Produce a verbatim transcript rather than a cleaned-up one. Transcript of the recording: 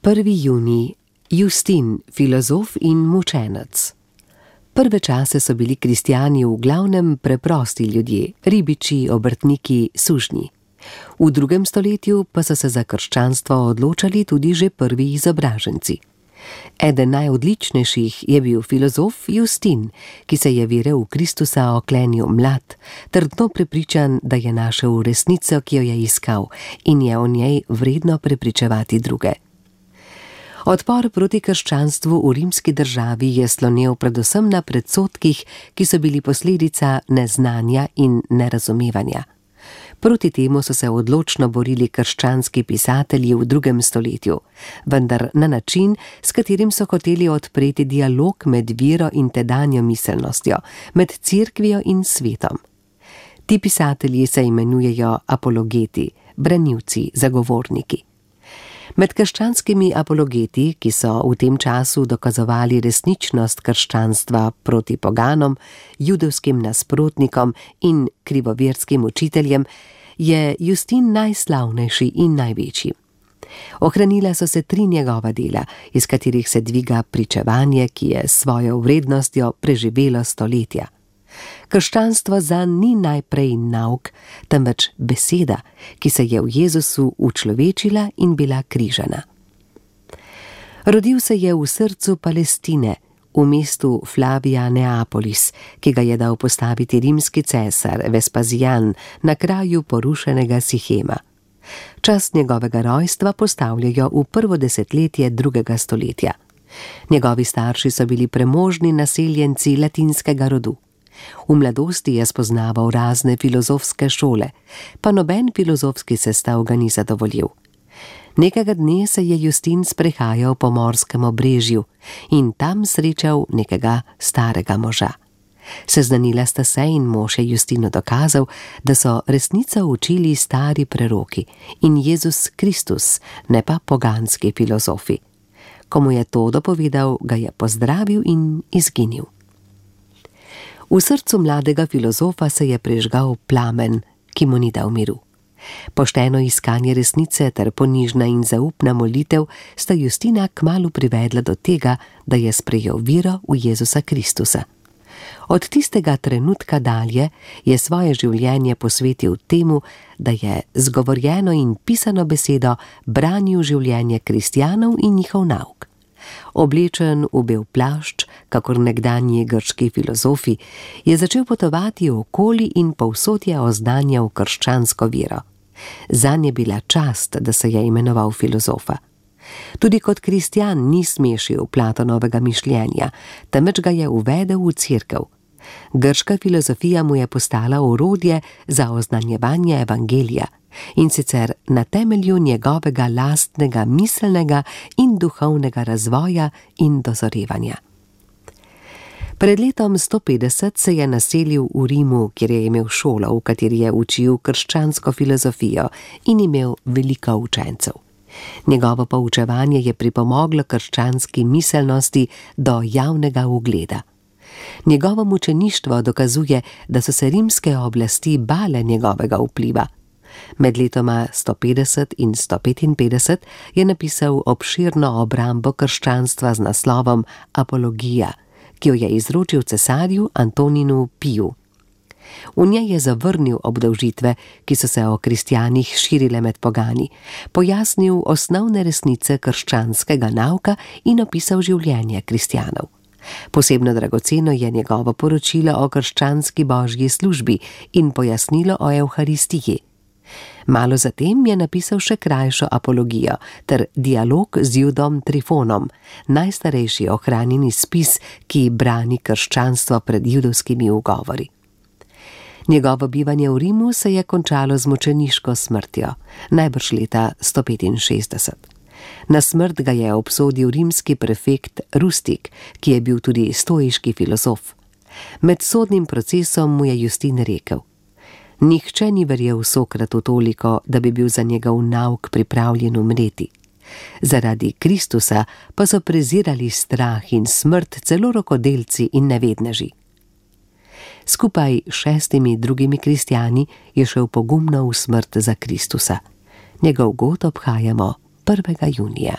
prvi junij, Justin, filozof in mučenec. Prve čase so bili kristjani v glavnem preprosti ljudje, ribiči, obrtniki, sužnji. V drugem stoletju pa so se za krščanstvo odločali tudi že prvi izobraženci. Eden najodličnejših je bil filozof Justin, ki se je vere v Kristusa oklenil mlad, trdno prepričan, da je našel resnico, ki jo je iskal, in je o njej vredno prepričevati druge. Odpor proti krščanstvu v rimski državi je slonel predvsem na predsodkih, ki so bili posledica neznanja in nerazumevanja. Proti temu so se odločno borili krščanski pisatelji v drugem stoletju, vendar na način, s katerim so hoteli odpreti dialog med vero in tedanjo miselnostjo, med cerkvijo in svetom. Ti pisatelji se imenujejo apologeti, branilci, zagovorniki. Med krščanskimi apologeti, ki so v tem času dokazovali resničnost krščanstva proti poganom, judovskim nasprotnikom in krivoverskim učiteljem, je Justin najslavnejši in največji. Ohranila so se tri njegova dela, iz katerih se dviga pričevanje, ki je s svojo vrednostjo preživelo stoletja. Krščanstvo zanj ni najprej nauk, temveč beseda, ki se je v Jezusu učlovečila in bila križana. Rodil se je v srcu Palestine, v mestu Flavia Neapolis, ki ga je dal postaviti rimski cesar Vespazijan na kraju porušenega Sihema. Čas njegovega rojstva postavljajo v prvo desetletje drugega stoletja. Njegovi starši so bili premožni naseljenci latinskega rodu. V mladosti je spoznaval razne filozofske šole, pa noben filozofski sestav ga ni zadovoljil. Nekega dne se je Justin sprehajal po morskem obrežju in tam srečal nekega starega moža. Seznanila sta se in mož je Justinu dokazal, da so resnico učili stari preroki in Jezus Kristus, ne pa poganski filozofi. Ko mu je to dopovedal, ga je pozdravil in izginil. V srcu mladega filozofa se je prižgal plamen, ki mu ni dal miru. Pošteno iskanje resnice ter ponižna in zaupna molitev sta Justina kmalu privedla do tega, da je sprejel vero v Jezusa Kristusa. Od tistega trenutka dalje je svoje življenje posvetil temu, da je z govorjeno in pisano besedo branil življenje kristjanov in njihov nauk. Oblečen v bel plašč, kakor nekdanji grški filozofi, je začel potovati okoli in povsod je oznanjal krščansko vero. Zanj je bila čast, da se je imenoval filozofa. Tudi kot kristjan ni smešil Platonovega mišljenja, temveč ga je uvedel v cerkev. Grška filozofija mu je postala orodje za oznanjevanje evangelija, in sicer na temelju njegovega lastnega miselnega in duhovnega razvoja in dozorevanja. Pred letom sto petdeset se je naselil v Rimu, kjer je imel šolo, v kateri je učil krščansko filozofijo in imel veliko učencev. Njegovo poučevanje je pripomoglo krščanski miselnosti do javnega ugleda. Njegovo mučeništvo dokazuje, da so se rimske oblasti bale njegovega vpliva. Med letoma sto petdeset in sto petinpetdeset je napisal obširno obrambo krščanstva z naslovom Apologija, ki jo je izročil cesarju Antoninu Piju. V njej je zavrnil obdolžitve, ki so se o kristjanih širile med pogani, pojasnil osnovne resnice krščanskega nauka in opisal življenje kristjanov. Posebno dragoceno je njegovo poročilo o krščanski božji službi in pojasnilo o Evharistiji. Malo zatem je napisal še krajšo apologijo ter dialog z Judom Trifonom, najstarejši ohranjeni spis, ki brani krščanstvo pred judovskimi ugovori. Njegovo bivanje v Rimu se je končalo z mučeniško smrtjo, najbrž leta sto petinšestdeset. Na smrt ga je obsodil rimski prefekt Rustik, ki je bil tudi stoiški filozof. Med sodnim procesom mu je Justin rekel: Nihče ni verjel Sokratu toliko, da bi bil za njegov nauk pripravljen umreti. Zaradi Kristusa pa so prezirali strah in smrt celo rokodelci in nevedneži. Skupaj s šestimi drugimi kristjani je šel pogumno v smrt za Kristusa. Njegov god obhajamo prvega junija.